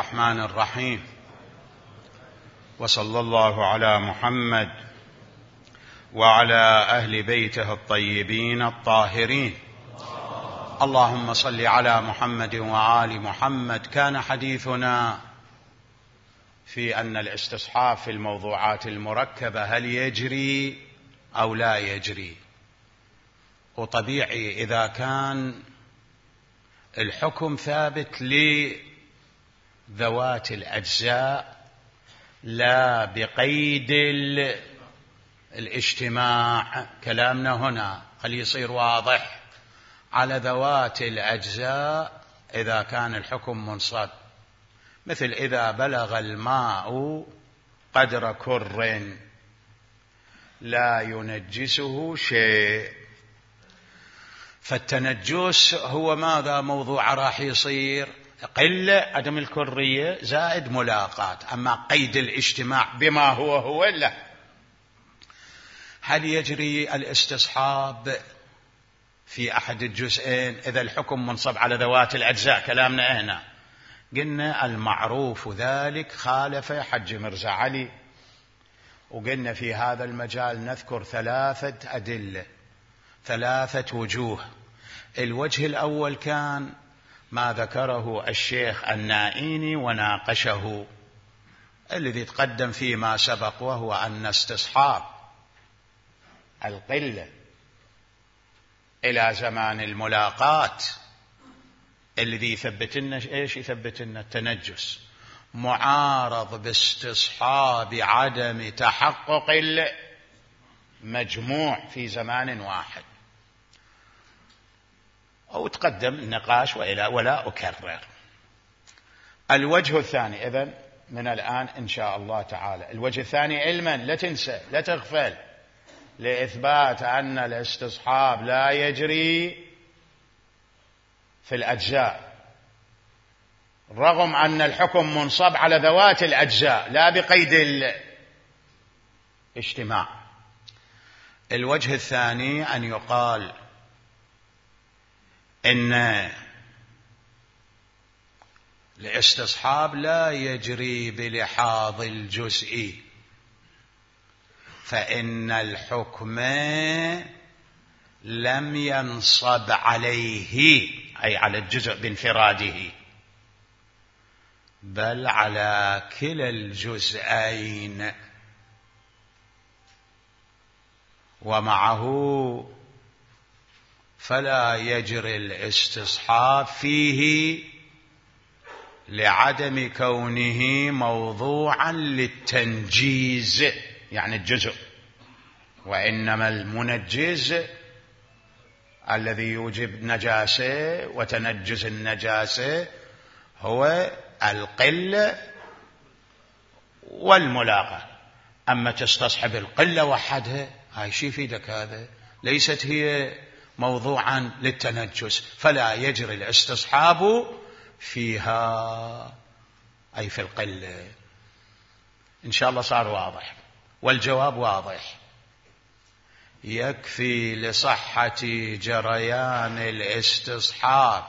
الرحمن الرحيم، وصلى الله على محمد وعلى أهل بيته الطيبين الطاهرين. اللهم صل على محمد وآل محمد. كان حديثنا في أن الاستصحاب في الموضوعات المركبة هل يجري أو لا يجري، وطبيعي إذا كان الحكم ثابت لذوات الأجزاء لا بقيد الاجتماع، كلامنا هنا خلي يصير واضح على ذوات الأجزاء. إذا كان الحكم منصب، مثل إذا بلغ الماء قدر كر لا ينجسه شيء، فالتنجس هو ماذا؟ موضوع راح يصير قلة عدم الكرية زائد ملاقات. أما قيد الاجتماع بما هو لا. هل يجري الاستصحاب في أحد الجزئين إذا الحكم منصب على ذوات الأجزاء؟ كلامنا هنا قلنا المعروف ذلك خالف حج مرزا علي، وقلنا في هذا المجال نذكر 3 أدلة، 3 وجوه. الوجه الأول كان ما ذكره الشيخ النائيني وناقشه، الذي تقدم فيما سبق، وهو أن استصحاب القلة إلى زمان الملاقات الذي يثبت لنا إيش؟ يثبت لنا التنجس، معارض باستصحاب عدم تحقق المجموع في زمان واحد. أو تقدم النقاش ولا أكرر. الوجه الثاني إذن من الآن إن شاء الله تعالى، الوجه الثاني علما، لا تنسى لا تغفل، لإثبات أن الاستصحاب لا يجري في الأجزاء رغم أن الحكم منصب على ذوات الأجزاء لا بقيد الاجتماع. الوجه الثاني أن يقال إن الاستصحاب لا يجري بلحاظ الجزء، فإن الحكم لم ينصب عليه، أي على الجزء بانفراده، بل على كلا الجزئين، ومعه فلا يجري الاستصحاب فيه لعدم كونه موضوعا للتنجيز، يعني الجزء، وإنما المنجز الذي يوجب نجاسة وتنجز النجاسة هو القلة والملاقة. أما تستصحب القلة وحدها، هاي شي يفيدك؟ هذا ليست هي موضوعا للتنجس، فلا يجري الاستصحاب فيها، أي في القلة. إن شاء الله صار واضح، والجواب واضح. يكفي لصحة جريان الاستصحاب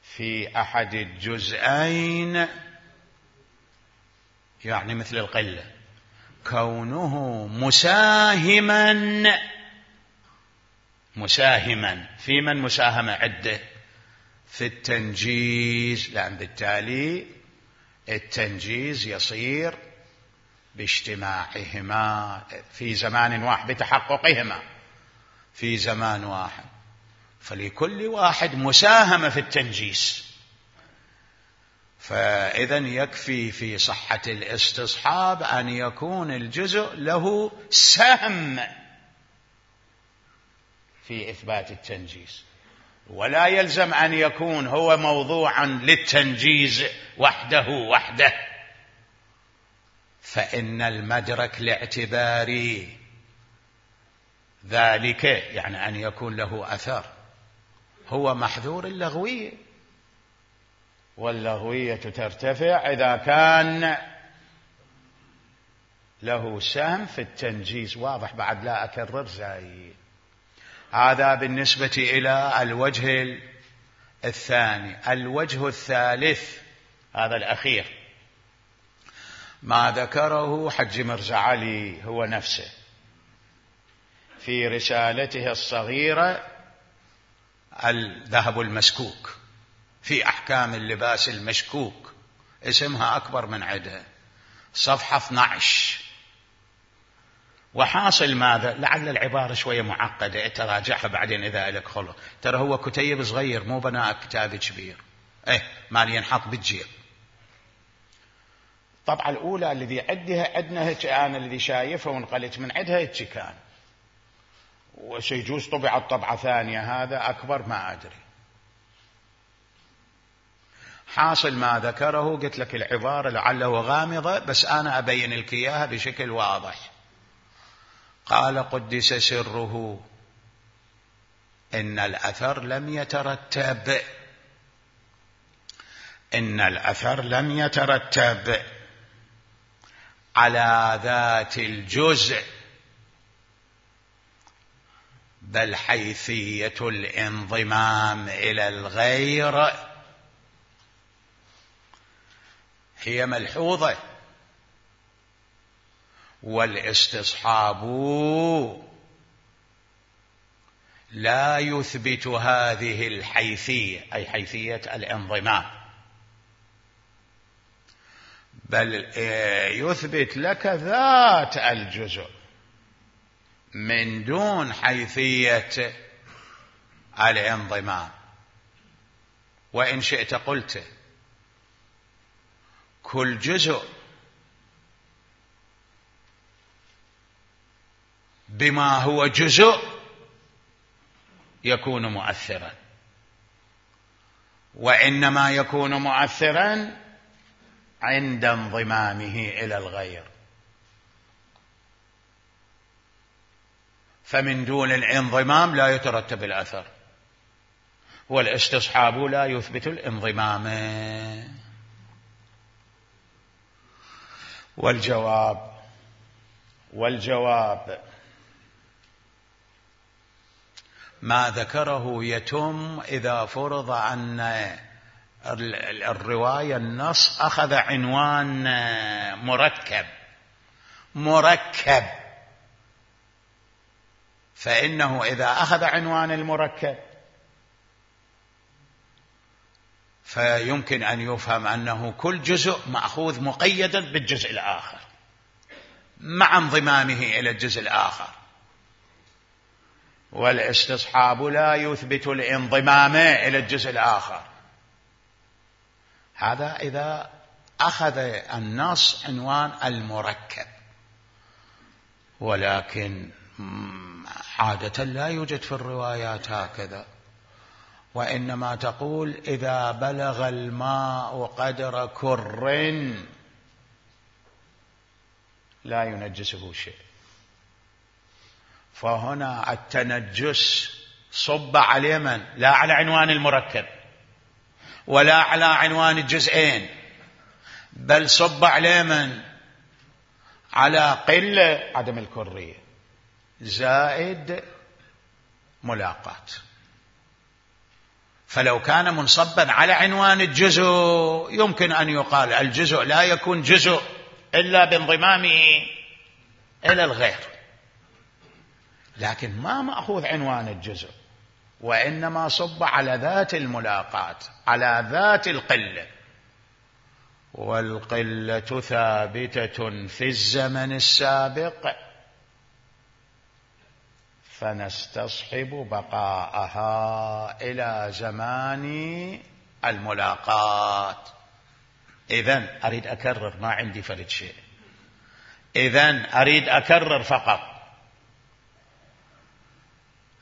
في أحد الجزئين، يعني مثل القلة، كونه مساهما في من مساهمة عدة في التنجيز، لأن بالتالي التنجيز يصير باجتماعهما في زمان واحد، بتحققهما في زمان واحد، فلكل واحد مساهمة في التنجيز. فإذا يكفي في صحة الاستصحاب أن يكون الجزء له سهم في إثبات التنجيز، ولا يلزم أن يكون هو موضوعا للتنجيز وحده، فإن المدرك الاعتباري ذلك، يعني أن يكون له أثر، هو محذور اللغوية، واللغوية ترتفع إذا كان له سهم في التنجيز. واضح بعد؟ لا أكرر زايد. هذا بالنسبة إلى الوجه الثاني. الوجه الثالث هذا الأخير ما ذكره حج مرزا علي هو نفسه في رسالته الصغيرة الذهب المسكوك في أحكام اللباس المشكوك، اسمها أكبر من عدها، صفحة 12. وحاصل ماذا؟ لعل العبارة شوية معقدة، تراجعها بعدين إذا لك خلق، ترى هو كتيب صغير مو بناء كتاب كبير، ما ينحط بالجيب. الطبعة الأولى الذي عندنا هيك، أنا الذي شايفها ونقلت من عندها هيك كان، وسيجوز طبعت طبعة ثانية هذا أكبر ما أدري. حاصل ما ذكره، قلت لك العبارة لعله غامضة بس أنا أبين لك إياها بشكل واضح. قال قدس سره إن الأثر لم يترتب على ذات الجزء، بل حيثية الانضمام إلى الغير هي ملحوظة، والاستصحاب لا يثبت هذه الحيثية، أي حيثية الانضمام، بل يثبت لك ذات الجزء من دون حيثية الانضمام. وإن شئت قلت كل جزء بما هو جزء يكون مؤثرا، وإنما يكون مؤثرا عند انضمامه إلى الغير، فمن دون الانضمام لا يترتب الأثر، والاستصحاب لا يثبت الانضمام. والجواب ما ذكره يتم إذا فرض أن الرواية النص أخذ عنوان مركب، فإنه إذا أخذ عنوان المركب فيمكن أن يفهم أنه كل جزء مأخوذ مقيدا بالجزء الآخر مع انضمامه إلى الجزء الآخر، والاستصحاب لا يثبت الانضمام إلى الجزء الآخر. هذا إذا أخذ النص عنوان المركب، ولكن عادة لا يوجد في الروايات هكذا، وإنما تقول إذا بلغ الماء قدر كر لا ينجسه شيء، فهنا التنجس صب على من؟ لا على عنوان المركب ولا على عنوان الجزئين، بل صب على من؟ على قلة عدم الكرية زائد ملاقات. فلو كان منصبا على عنوان الجزء يمكن أن يقال الجزء لا يكون جزء إلا بانضمامه إلى الغير، لكن ما مأخوذ عنوان الجزء، وإنما صب على ذات الملاقات، على ذات القلة، والقلة ثابتة في الزمن السابق فنستصحب بقاءها إلى زمان الملاقات. إذن أريد أكرر، ما عندي فرد شيء، إذن أريد أكرر فقط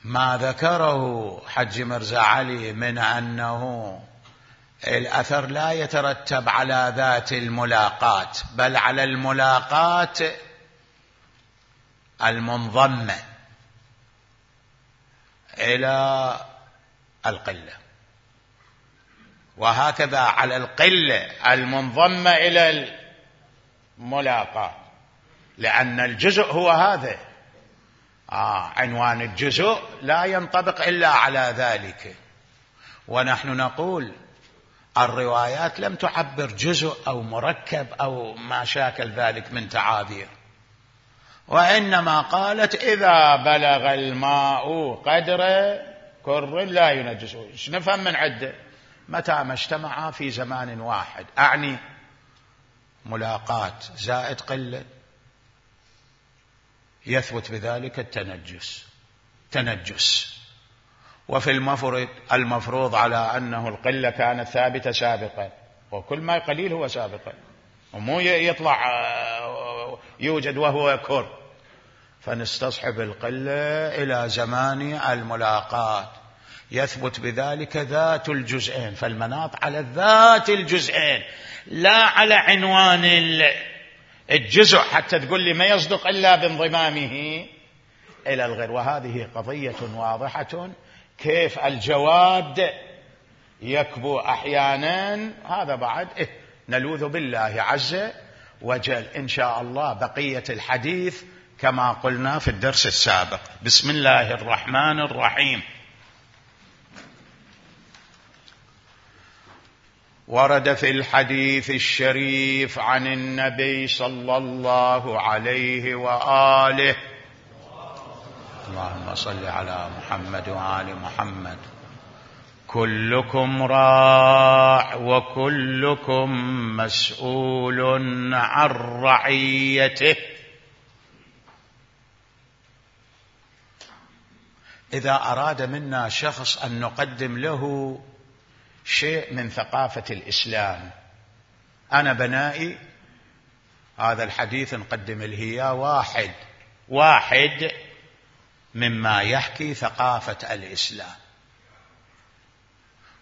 ما ذكره حج مرزا علي من أنه الأثر لا يترتب على ذات الملاقات بل على الملاقات المنضمة إلى القلة، وهكذا على القلة المنضمة إلى الملاقات، لأن الجزء هو هذا، عنوان الجزء لا ينطبق إلا على ذلك، ونحن نقول الروايات لم تعبر جزء أو مركب أو ما شاكل ذلك من تعابير، وإنما قالت إذا بلغ الماء قدر كر لا ينجسه. ايش نفهم من عده؟ متى ما اجتمعا في زمان واحد، أعني ملاقاة زائد قلة، يثبت بذلك التنجس. وفي المفروض على أنه القلة كانت ثابتة سابقا، وكل ما قليل هو سابقا، ومو يطلع يوجد وهو كر، فنستصحب القلة إلى زمان الملاقاة، يثبت بذلك ذات الجزئين. فالمناط على ذات الجزئين لا على عنوان الجزء، حتى تقول لي ما يصدق إلا بانضمامه إلى الغير. وهذه قضية واضحة، كيف الجواد يكبو أحيانا، هذا بعد نلوذ بالله عز وجل. إن شاء الله بقية الحديث كما قلنا في الدرس السابق. بسم الله الرحمن الرحيم. ورد في الحديث الشريف عن النبي صلى الله عليه وآله، اللهم صل على محمد وآل محمد، كلكم راع وكلكم مسؤول عن رعيته. إذا أراد منا شخص أن نقدم له شيء من ثقافة الإسلام، أنا بنائي هذا الحديث نقدم له واحد مما يحكي ثقافة الإسلام.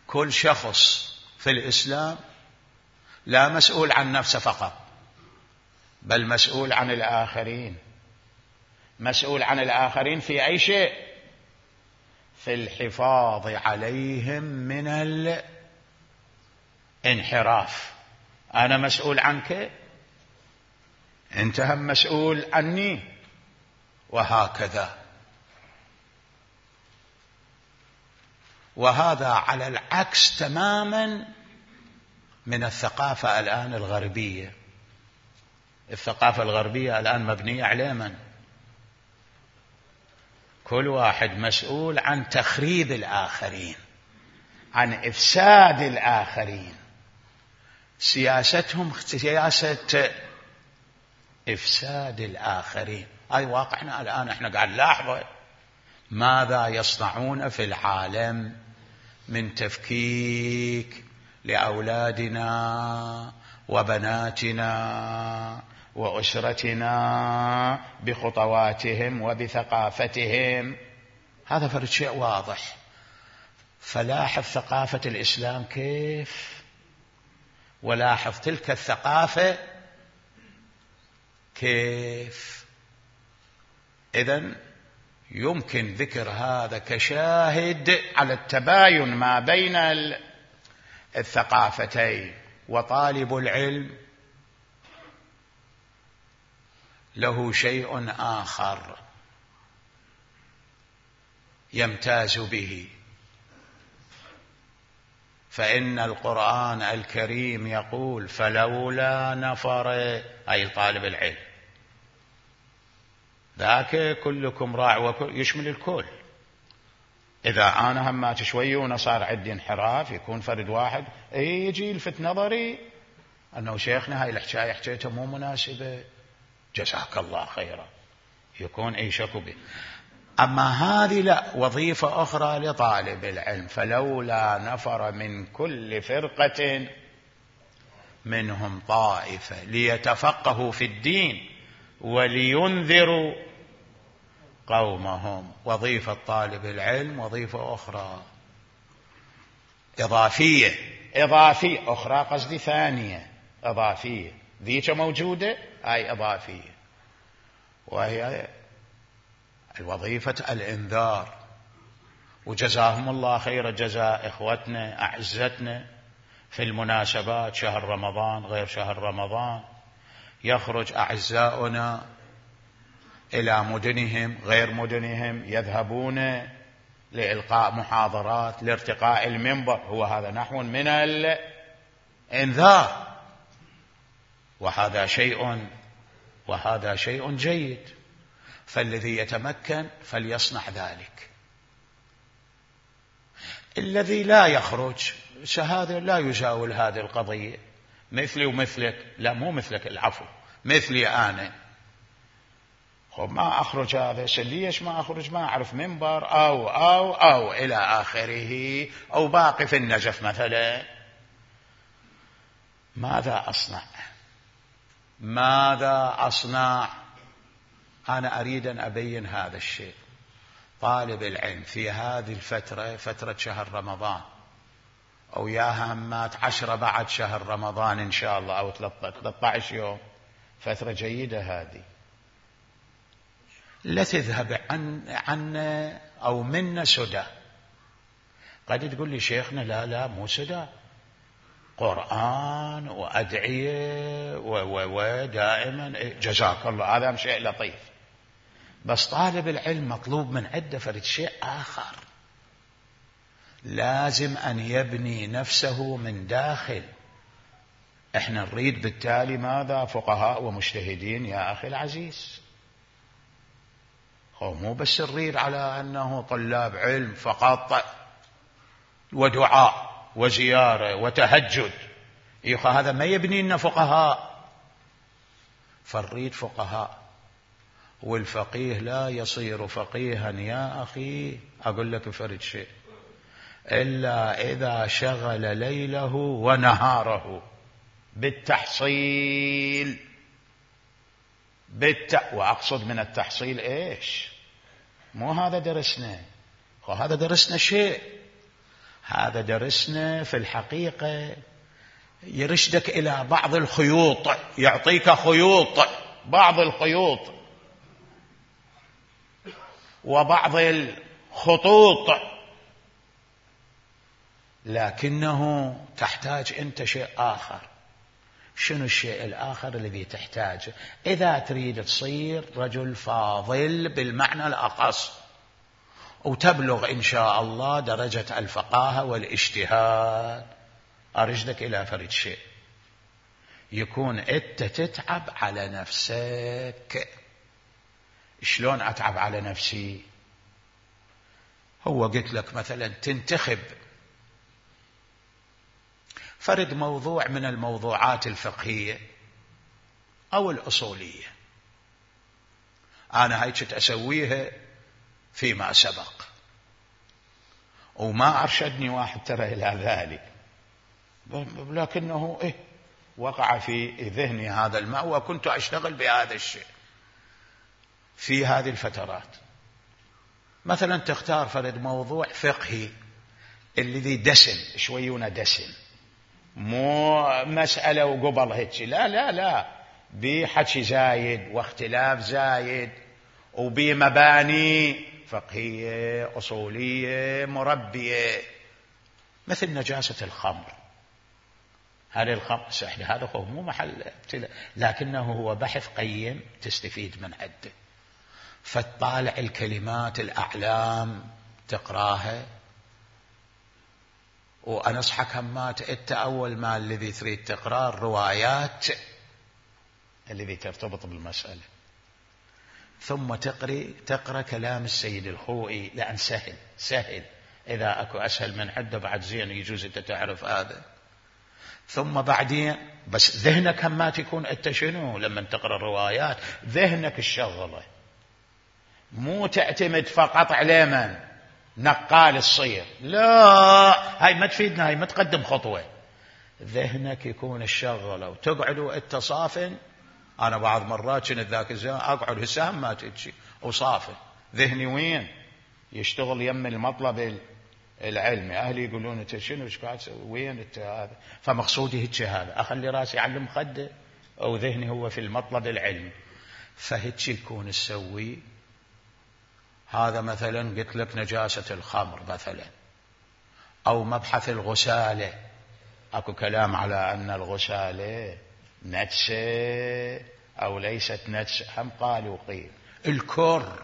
كل شخص في الإسلام لا مسؤول عن نفسه فقط، بل مسؤول عن الآخرين. مسؤول عن الآخرين في أي شيء؟ في الحفاظ عليهم من الانحراف. أنا مسؤول عنك، أنت هم مسؤول عني، وهكذا. وهذا على العكس تماما من الثقافة الآن الغربية. الثقافة الغربية الآن مبنية على من؟ كل واحد مسؤول عن تخريب الآخرين، عن إفساد الآخرين. سياستهم سياسة إفساد الآخرين. هاي واقعنا الآن، احنا قاعد نلاحظه ماذا يصنعون في العالم من تفكيك لأولادنا وبناتنا وأسرتنا بخطواتهم وبثقافتهم. هذا فرد شيء واضح. فلاحظ ثقافة الإسلام كيف، ولاحظ تلك الثقافة كيف. إذن يمكن ذكر هذا كشاهد على التباين ما بين الثقافتين. وطالب العلم له شيء آخر يمتاز به، فإن القرآن الكريم يقول فلولا نفر، أي طالب العلم ذاك كلكم راع يشمل الكل. إذا أنا همات شوي وصار عندي انحراف، يكون فرد واحد يجي يلفت نظري أنه شيخنا هاي الحكاية حكيتها مو مناسبة، جزاك الله خيرا، يكون شكو به. أما هذه لا، وظيفة أخرى لطالب العلم. فلولا نفر من كل فرقة منهم طائفة ليتفقهوا في الدين ولينذروا قومهم. وظيفة طالب العلم وظيفة أخرى إضافية أخرى، قصدي ثانية إضافية. ذيك موجودة، هاي إضافية، وهي الوظيفة الإنذار. وجزاهم الله خير جزاء إخوتنا أعزتنا في المناسبات، شهر رمضان غير شهر رمضان، يخرج أعزاؤنا إلى مدنهم غير مدنهم، يذهبون لإلقاء محاضرات، لارتقاء المنبر، هو هذا نحو من الإنذار، وهذا شيء جيد. فالذي يتمكن فليصنع ذلك. الذي لا يخرج هذا لا يجاول هذه القضية، مثلي ومثلك، لا مو مثلك، العفو، مثلي أنا، ما أخرج هذا، ليش ما أخرج؟ ما أعرف منبر أو إلى آخره، أو باقي في النجف مثلا. ماذا أصنع؟ أنا أريد أن أبين هذا الشيء. طالب العلم في هذه الفترة، فترة شهر رمضان، أو يا همات 10 بعد شهر رمضان إن شاء الله، أو 13 يوم، فترة جيدة هذه. لا تذهب عنا أو منا سدى. قد تقول لي شيخنا لا مو سدى، قرآن وأدعية ودائما جزاك الله، هذا شيء لطيف. بس طالب العلم مطلوب من عنده فرد شيء آخر، لازم أن يبني نفسه من داخل. احنا نريد بالتالي ماذا؟ فقهاء ومجتهدين يا أخي العزيز. مو بس نريد على أنه طلاب علم فقط ودعاء وزيارة وتهجد، هذا ما يبني لنا فقهاء. فنريد فقهاء، والفقيه لا يصير فقيها يا أخي، أقول لك فرد شيء، إلا إذا شغل ليله ونهاره بالتحصيل. وأقصد من التحصيل إيش؟ مو هذا درسنا، هذا درسنا شيء، هذا درسنا في الحقيقة يرشدك إلى بعض الخيوط، يعطيك خيوط، بعض الخيوط وبعض الخطوط، لكنه تحتاج أنت شيء آخر. شنو الشيء الآخر الذي تحتاجه إذا تريد تصير رجل فاضل بالمعنى الأخص، وتبلغ إن شاء الله درجة الفقاهة والاجتهاد؟ أرشدك إلى فرد شيء، يكون أنت تتعب على نفسك. شلون أتعب على نفسي؟ هو قلت لك مثلا تنتخب فرد موضوع من الموضوعات الفقهية أو الأصولية. أنا هيك أسويها فيما سبق، وما أرشدني واحد ترى إلى ذلك، لكنه وقع في ذهني هذا الماء، وكنت أشتغل بهذا الشيء في هذه الفترات. مثلا تختار فرد موضوع فقهي الذي دسم شويونه، دسم، مو مسألة وقبل هيك، لا بحكي زايد واختلاف زايد، وبمباني فقهية أصولية مربية، مثل نجاسة الخمر. هذا الخمر هذا هو مو محل ابتلاء، لكنه هو بحث قيم تستفيد من عده. فتطالع الكلمات الأعلام تقراها، وأنصحك همات أنت أول ما الذي تريد تقرأ الروايات الذي ترتبط بالمسألة، ثم تقرأ كلام السيد الخوئي، لأن سهل إذا أكو أسهل من عده بعد زين، يجوز أنت تعرف هذا. ثم بعدين بس ذهنك همات يكون أنت شنو لما تقرأ الروايات؟ ذهنك الشغلة، مو تعتمد فقط على من نقال الصير، لا، هاي ما تفيدنا، هاي ما تقدم خطوة. ذهنك يكون الشغلة، وتقعد وانت صافن. أنا بعض مرات كنت ذاك الزمان أقعد هسه ما تجي وصافن، ذهني وين؟ يشتغل يم المطلب العلمي. أهلي يقولون أنت شنو ايش قاعد تسوي؟ وين أنت هذا؟ فمقصودي هيك هذا، أخلي راسي على المخدة أو ذهني هو في المطلب العلمي. فهيك يكون تسوي هذا. مثلا قلت لك نجاسة الخمر مثلا، أو مبحث الغسالة، أكو كلام على أن الغسالة نجسة أو ليست نجسة، هم قال وقيل. الكر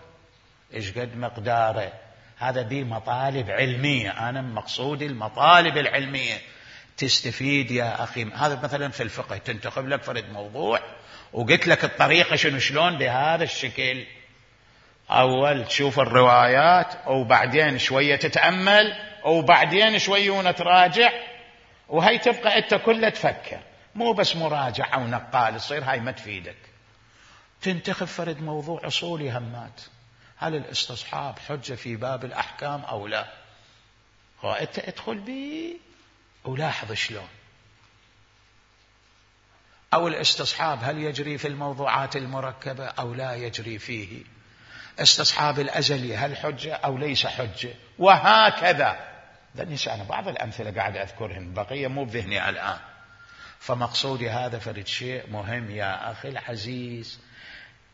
إيش قد مقداره؟ هذا دي مطالب علمية، أنا مقصودي المطالب العلمية تستفيد يا أخي. هذا مثلا في الفقه تنتخب لك فرد موضوع وقلت لك الطريقة شلون بهذا الشكل، أول تشوف الروايات وبعدين شوية تتأمل وبعدين شوية تراجع، وهي تبقى أنت كلها تفكر، مو بس مراجعة ونقال تصير هاي ما تفيدك. تنتخب فرد موضوع أصولي همات، هل الاستصحاب حجة في باب الأحكام أو لا؟ أنت ادخل بيه ولاحظ شلون. أو الاستصحاب هل يجري في الموضوعات المركبة أو لا يجري فيه؟ استصحاب الأزلي هل حجة أو ليس حجة؟ وهكذا. أنا بعض الأمثلة قاعد أذكرهن، بقية مو بذهني الآن. فمقصودي هذا فرد شيء مهم يا أخي العزيز،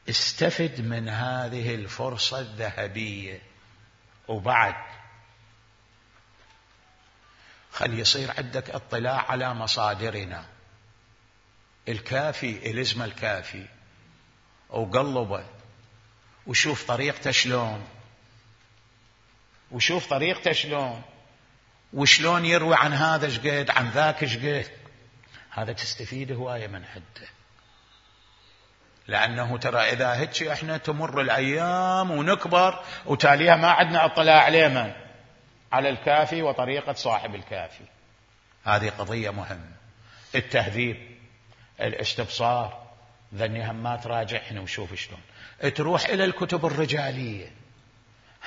استفد من هذه الفرصة الذهبية. وبعد خلي يصير عندك اطلاع على مصادرنا. الكافي الزم الكافي وقلبه وشوف طريقته شلون، وشوف طريقته شلون، وشلون يروي عن هذا شقد عن ذاك شقد. هذا تستفيد هواية من حده، لأنه ترى إذا هيك إحنا تمر الأيام ونكبر وتاليها ما عندنا اطلاع عليه على الكافي وطريقة صاحب الكافي. هذه قضية مهمة. التهذيب، الاستبصار، ذني هم ما تراجعهن وشوف شلون. تروح إلى الكتب الرجالية،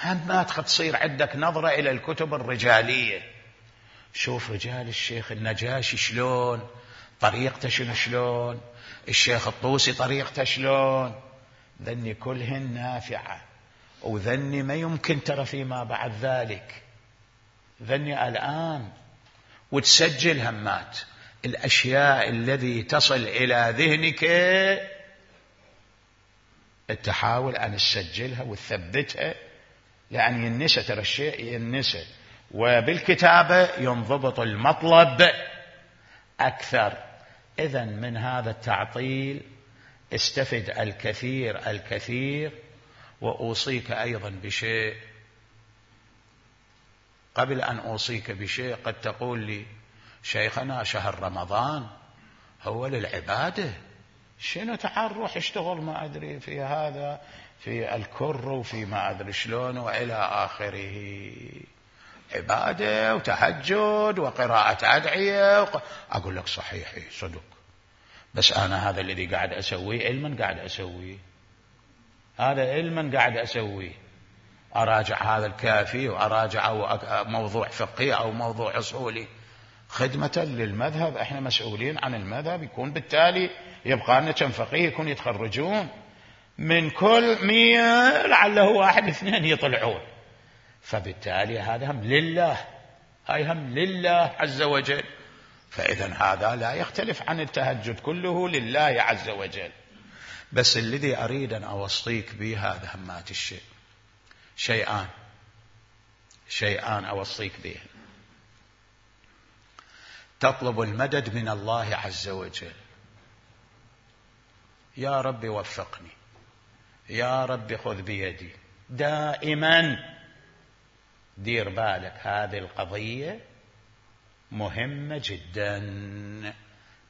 هم ما تصير عندك نظرة إلى الكتب الرجالية. شوف رجال الشيخ النجاشي شلون، طريقته شلون، الشيخ الطوسي طريقته شلون. ذني كلهن نافعة، وذني ما يمكن ترى فيما بعد ذلك. ذني الآن وتسجل همات الأشياء الذي تصل إلى ذهنك، تحاول أن تسجلها وتثبتها، لأن ينسى، ترى الشيء ينسى، وبالكتابة ينضبط المطلب أكثر. إذن من هذا التعطيل استفد الكثير الكثير. وأوصيك أيضا بشيء، قبل أن أوصيك بشيء قد تقول لي شيخنا شهر رمضان هو للعبادة، شنو تعال روح اشتغل ما أدري في هذا في الكر وفي ما أدري شلون وإلى آخره، عبادة وتهجد وقراءة أدعية أقول لك صحيح صدق، بس أنا هذا الذي قاعد أسويه علما قاعد أسويه، هذا علما قاعد أسويه، أراجع هذا الكافي وأراجع موضوع فقهي أو موضوع أصولي خدمة للمذهب. احنا مسؤولين عن المذهب، يكون بالتالي يبقى لنا كم فقيه يكون يتخرجون من كل 100 لعله 1 2 يطلعون، فبالتالي هذا هم لله، هاي هم لله عز وجل. فإذا هذا لا يختلف عن التهجد، كله لله عز وجل. بس الذي أريد أن أوصيك به هذا همات الشيء، شيئان أوصيك به. تطلب المدد من الله عز وجل، يا رب وفقني، يا رب خذ بيدي، دائما دير بالك هذه القضية مهمة جدا.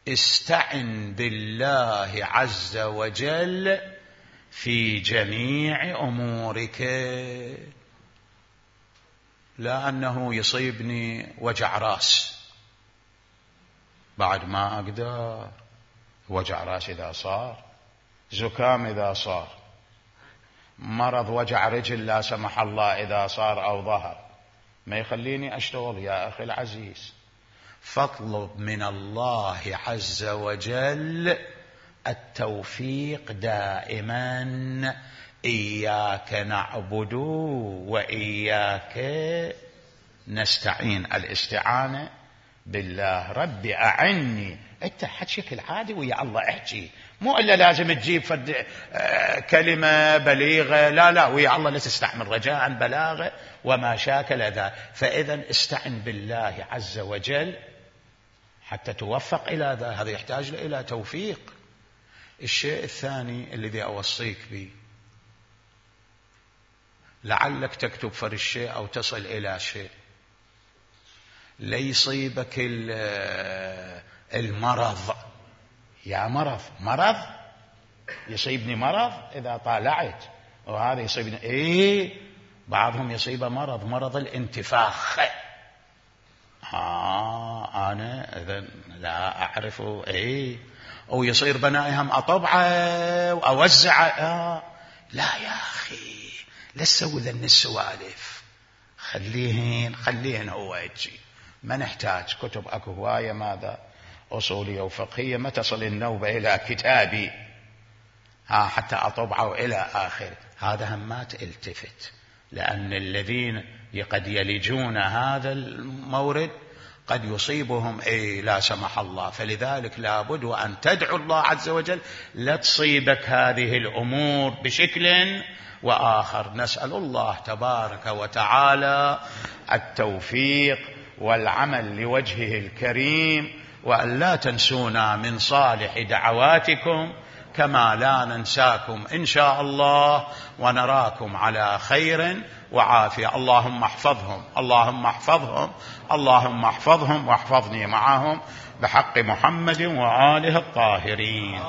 استعن بالله عز وجل في جميع أمورك. لا أنه يصيبني وجع راس بعد ما أقدر، وجع راس إذا صار، زكام إذا صار، مرض وجع رجل لا سمح الله إذا صار أو ظهر، ما يخليني أشتغل يا أخي العزيز. فاطلب من الله عز وجل التوفيق دائما. إياك نعبد وإياك نستعين، الاستعانة بالله. ربي أعني، أنت بشكل عادي ويا الله احكي، مو إلا لازم تجيب كلمة بليغة، لا ويا الله لا تستعمل رجاء بلاغة وما شاكل ذا. فإذا استعن بالله عز وجل حتى توفق إلى ذا، هذا يحتاج إلى توفيق. الشيء الثاني الذي أوصيك به، لعلك تكتب فر الشيء أو تصل إلى شيء، ليصيبك المرض. يا مرض يصيبني مرض إذا طالعت، وهذا يصيبني بعضهم يصيبه مرض الانتفاخ. أنا إذن لا أعرف. أو يصير بنائهم أطبعه وأوزعه. لا يا أخي، لا تسوي ذن السوالف، خليهن هو يجي. ما نحتاج كتب، أكو هواية ماذا أصولية وفقهية، ما تصل النوبة إلى كتابي حتى أطبعه إلى آخر. هذا هم ما تلتفت، لأن الذين قد يلجون هذا المورد قد يصيبهم لا سمح الله. فلذلك لابد أن تدعو الله عز وجل لا تصيبك هذه الأمور بشكل وآخر. نسأل الله تبارك وتعالى التوفيق والعمل لوجهه الكريم، وأن لا تنسونا من صالح دعواتكم كما لا ننساكم إن شاء الله، ونراكم على خير وعافية. اللهم احفظهم، اللهم احفظهم، اللهم احفظهم واحفظني معهم بحق محمد وآله الطاهرين.